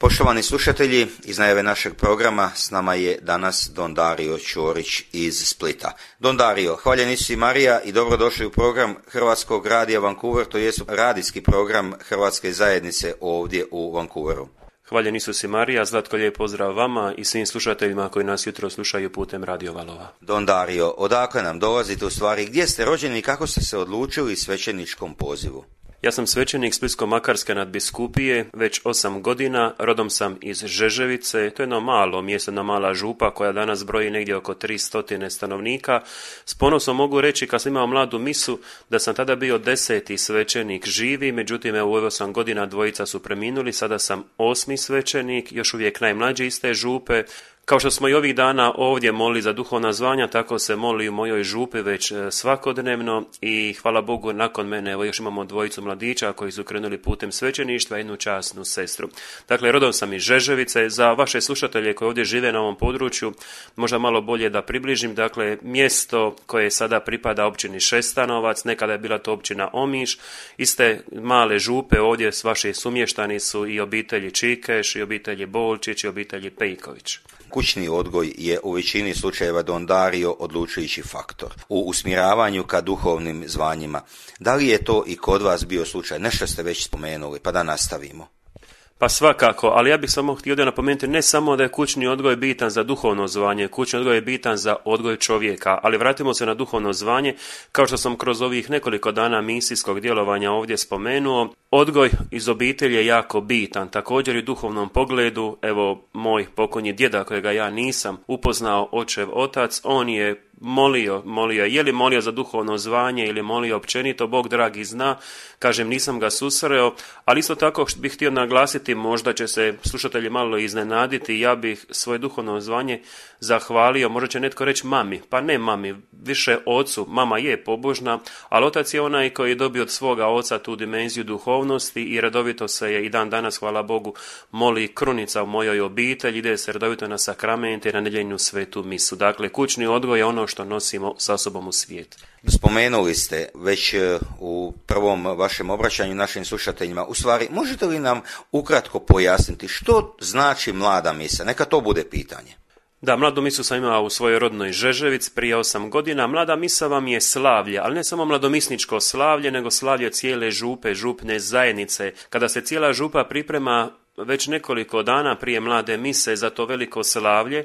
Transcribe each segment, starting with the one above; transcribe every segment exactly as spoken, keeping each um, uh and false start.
Poštovani slušatelji, iz najave našeg programa s nama je danas Don Dario Ćorić iz Splita. Don Dario, hvaljen Isus i Marija i dobrodošli u program Hrvatskog radija Vancouver, to je radijski program Hrvatske zajednice ovdje u Vancouveru. Hvaljen Isus i Marija, Zlatko, lijep pozdrav vama i svim slušateljima koji nas jutro slušaju putem Radio Valova. Don Dario, odakle nam dolazite u stvari, gdje ste rođeni i kako ste se odlučili svećeničkom pozivu? Ja sam svećenik Splitsko-makarske nadbiskupije već osam godina, rodom sam iz Žeževice, to je jedno malo mjesto, jedna mala župa koja danas broji negdje oko tristo stanovnika. S ponosom mogu reći kad sam imao mladu misu da sam tada bio deseti svećenik živi, međutim evo u osam godina dvojica su preminuli, sada sam osmi svećenik, još uvijek najmlađi iz te župe. Kao što smo i ovih dana ovdje molili za duhovna zvanja, tako se moli u mojoj župi već svakodnevno i hvala Bogu nakon mene evo još imamo dvojicu mladića koji su krenuli putem svećeništva i jednu časnu sestru. Dakle, rodom sam iz Žeževice. Za vaše slušatelje koji ovdje žive na ovom području, možda malo bolje da približim, dakle, mjesto koje sada pripada općini Šestanovac, nekada je bila to općina Omiš, iste male župe ovdje s vaši sumještani su i obitelji Čikeš, i obitelji Bolčić, i obitelji Pejković. Kućni odgoj je u većini slučajeva, Don Dario, odlučujući faktor u usmjeravanju ka duhovnim zvanjima. Da li je to i kod vas bio slučaj? Nešto ste već spomenuli, pa da nastavimo. Pa svakako, ali ja bih samo htio da napomenuti ne samo da je kućni odgoj bitan za duhovno zvanje, kućni odgoj je bitan za odgoj čovjeka, ali vratimo se na duhovno zvanje, kao što sam kroz ovih nekoliko dana misijskog djelovanja ovdje spomenuo, odgoj iz obitelji je jako bitan, također i u duhovnom pogledu. Evo, moj pokojni djeda kojega ja nisam upoznao, očev otac, on je molio, molio, je li molio za duhovno zvanje ili molio općenito, Bog dragi zna, kažem nisam ga susreo, ali isto tako bih htio naglasiti, možda će se slušatelji malo iznenaditi, ja bih svoje duhovno zvanje zahvalio, možda će netko reći mami, pa ne mami, više ocu, mama je pobožna, ali otac je onaj koji je dobio od svoga oca tu dimenziju duhovnosti i redovito se je i dan danas, hvala Bogu, moli krunica u mojoj obitelji, ide se redovito na sakramente i na nedjeljnu svetu misu. Dakle, kućni odgoj je ono što nosimo sa sobom u svijet. Spomenuli ste već u prvom vašem obraćanju našim slušateljima, u stvari možete li nam ukratko pojasniti što znači mlada misa? Neka to bude pitanje. Da, mladu misu sam imao u svojoj rodnoj Žeževici prije osam godina. Mlada misa vam je slavlje, ali ne samo mladomisničko slavlje, nego slavlje cijele župe, župne zajednice. Kada se cijela župa priprema već nekoliko dana prije mlade mise za to veliko slavlje,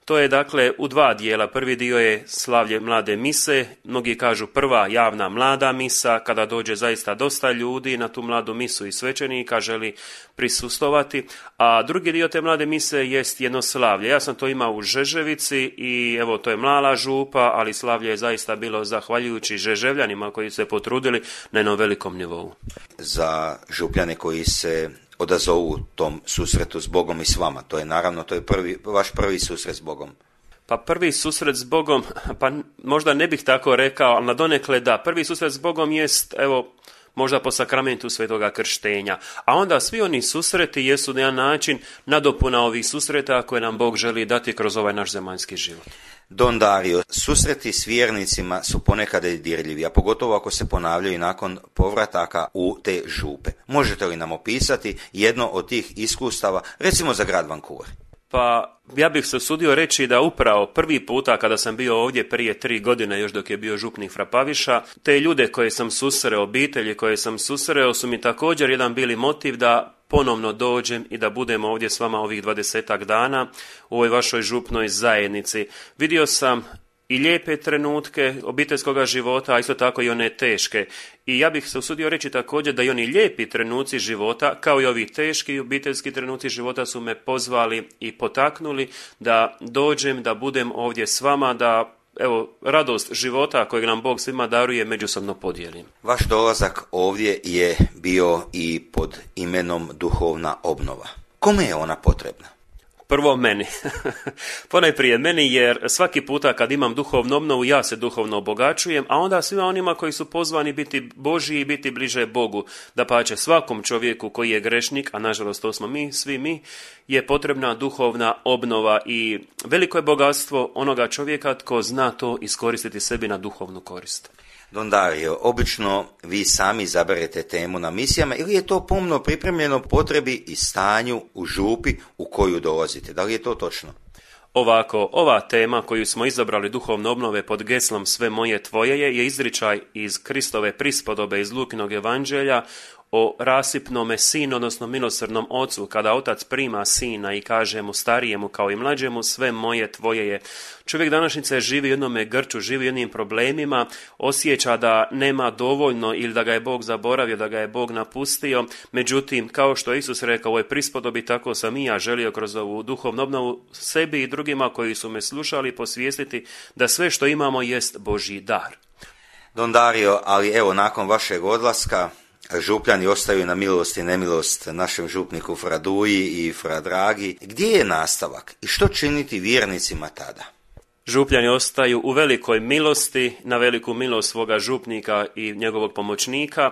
to je dakle u dva dijela. Prvi dio je slavlje mlade mise, mnogi kažu prva javna mlada misa, kada dođe zaista dosta ljudi na tu mladu misu i svećenika želi prisustovati, a drugi dio te mlade mise jest jedno slavlje. Ja sam to imao u Žeževici i evo to je mala župa, ali slavlje je zaista bilo zahvaljujući Žeževljanima koji su se potrudili na jednom velikom nivou. Za župljane koji se odazovu tom susretu s Bogom i s vama. To je naravno, to je prvi, vaš prvi susret s Bogom. Pa prvi susret s Bogom, pa možda ne bih tako rekao, ali nadonekle da. Prvi susret s Bogom jest, evo, možda po sakramentu svetoga krštenja. A onda svi oni susreti jesu na jedan način nadopuna ovih susreta koje nam Bog želi dati kroz ovaj naš zemaljski život. Don Dario, susreti s vjernicima su ponekad dirljivi, a pogotovo ako se ponavljaju nakon povrataka u te župe. Možete li nam opisati jedno od tih iskustava, recimo za grad Vancouver? Pa ja bih se usudio reći da upravo prvi puta kada sam bio ovdje prije tri godine, još dok je bio župnik Frapaviša, te ljude koje sam susreo, obitelji koje sam susreo su mi također jedan bili motiv da ponovno dođem i da budem ovdje s vama ovih dvadesetak dana u ovoj vašoj župnoj zajednici. Vidio sam i lijepe trenutke obiteljskog života, a isto tako i one teške. I ja bih se usudio reći također da i oni lijepi trenuci života, kao i ovi teški obiteljski trenuci života su me pozvali i potaknuli da dođem, da budem ovdje s vama, da evo, radost života kojeg nam Bog svima daruje međusobno podijelim. Vaš dolazak ovdje je bio i pod imenom duhovna obnova. Kome je ona potrebna? Prvo meni. Ponajprije meni, jer svaki puta kad imam duhovnu obnovu, ja se duhovno obogaćujem, a onda svima onima koji su pozvani biti Božji i biti bliže Bogu. Dapače, svakom čovjeku koji je grešnik, a nažalost to smo mi, svi mi, je potrebna duhovna obnova i veliko je bogatstvo onoga čovjeka tko zna to iskoristiti sebi na duhovnu korist. Don Dario, obično vi sami izaberete temu na misijama ili je to pomno pripremljeno potrebi i stanju u župi u koju dolazite? Da li je to točno? Ovako, ova tema koju smo izabrali duhovne obnove pod geslom Sve moje tvoje je, je izričaj iz Kristove prispodobe iz Lukinog evanđelja o rasipnome sinu, odnosno milosrdnom ocu, kada otac prima sina i kaže mu starijemu kao i mlađemu, sve moje tvoje je. Čovjek današnjice živi u jednome grču, živi u jednim problemima, osjeća da nema dovoljno ili da ga je Bog zaboravio, da ga je Bog napustio. Međutim, kao što je Isus rekao u ovoj prispodobi, tako sam i ja želio kroz ovu duhovnu obnovu sebi i drugima koji su me slušali posvijestiti da sve što imamo jest Božji dar. Don Dario, ali evo nakon vašeg odlaska župljani ostaju na milost i nemilost našem župniku Fra Duji i Fra Dragi. Gdje je nastavak i što činiti vjernicima tada? Župljani ostaju u velikoj milosti, na veliku milost svoga župnika i njegovog pomoćnika.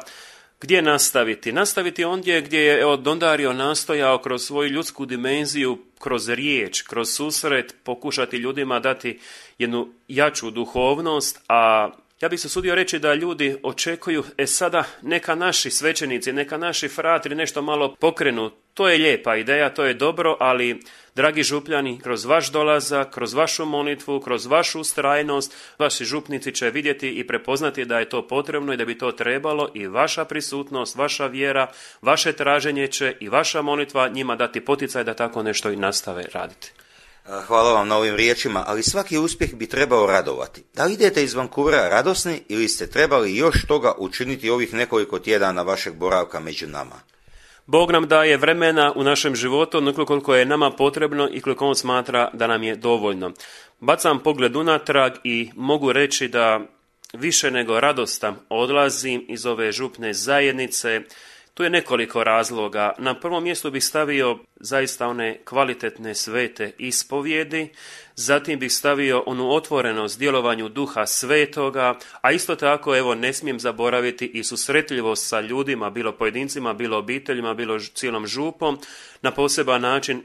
Gdje nastaviti? Nastaviti ondje gdje je evo, Don Dario nastojao kroz svoju ljudsku dimenziju, kroz riječ, kroz susret, pokušati ljudima dati jednu jaču duhovnost, a ja bih se sudio reći da ljudi očekuju, e sada neka naši svećenici, neka naši fratri nešto malo pokrenu. To je lijepa ideja, to je dobro, ali dragi župljani, kroz vaš dolazak, kroz vašu molitvu, kroz vašu ustrajnost, vaši župnici će vidjeti i prepoznati da je to potrebno i da bi to trebalo i vaša prisutnost, vaša vjera, vaše traženje će i vaša molitva njima dati poticaj da tako nešto i nastave raditi. Hvala vam na ovim riječima, ali svaki uspjeh bi trebao radovati. Da li idete iz Vancouvera radosni ili ste trebali još toga učiniti ovih nekoliko tjedana vašeg boravka među nama? Bog nam daje vremena u našem životu onoliko koliko je nama potrebno i koliko on smatra da nam je dovoljno. Bacam pogled unatrag i mogu reći da više nego radostan odlazim iz ove župne zajednice. Tu je nekoliko razloga. Na prvom mjestu bih stavio zaista one kvalitetne svete ispovjedi, zatim bih stavio onu otvorenost djelovanju Duha Svetoga, a isto tako evo ne smijem zaboraviti i susretljivost sa ljudima, bilo pojedincima, bilo obiteljima, bilo cijelom župom. Na poseban način e,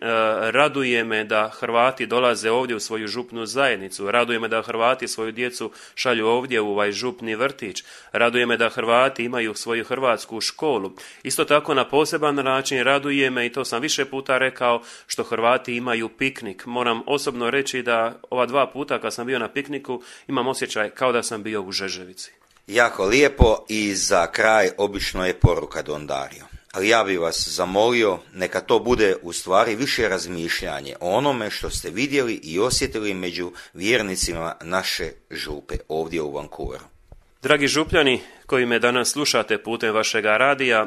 raduje me da Hrvati dolaze ovdje u svoju župnu zajednicu, raduje me da Hrvati svoju djecu šalju ovdje u ovaj župni vrtić, raduje me da Hrvati imaju svoju hrvatsku školu. Isto tako na poseban način raduje me, i to sam više puta rekao, što Hrvati imaju piknik. Moram osobno reći da ova dva puta kad sam bio na pikniku imam osjećaj kao da sam bio u Žeževici. Jako lijepo i za kraj obično je poruka Don Dario. Ali ja bih vas zamolio, neka to bude u stvari više razmišljanje o onome što ste vidjeli i osjetili među vjernicima naše župe ovdje u Vancouveru. Dragi župljani koji me danas slušate putem vašega radija,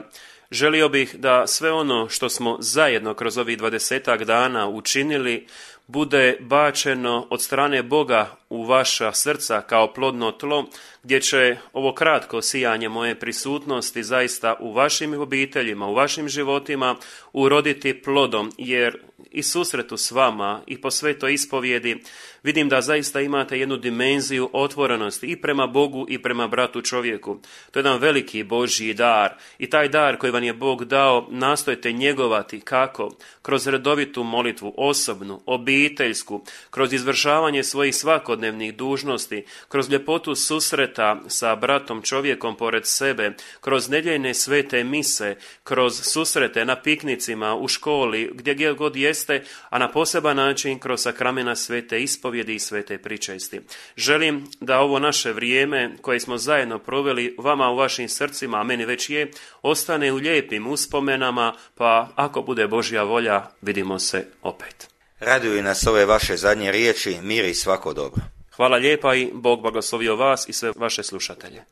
želio bih da sve ono što smo zajedno kroz ovih dvadesetak dana učinili bude bačeno od strane Boga u vaša srca kao plodno tlo, gdje će ovo kratko sijanje moje prisutnosti zaista u vašim obiteljima, u vašim životima uroditi plodom, jer i susretu s vama i po svetoj ispovjedi vidim da zaista imate jednu dimenziju otvorenosti i prema Bogu i prema bratu čovjeku. To je jedan veliki Božji dar i taj dar koji vam je Bog dao nastojte njegovati kako? Kroz redovitu molitvu, osobnu, obiteljsku, kroz izvršavanje svojih svakodnevnih dužnosti, kroz ljepotu susreta sa bratom čovjekom pored sebe, kroz nedjeljne svete mise, kroz susrete na piknicima, u školi, gdje god jeste, a na poseban način kroz sakramena svete ispovjedi i svete pričesti. Želim da ovo naše vrijeme koje smo zajedno proveli vama u vašim srcima, a meni već je, ostane u lijepim uspomenama, pa ako bude Božja volja, vidimo se opet. Raduju nas ove vaše zadnje riječi, mir i svako dobro. Hvala lijepa i Bog blagoslovio vas i sve vaše slušatelje.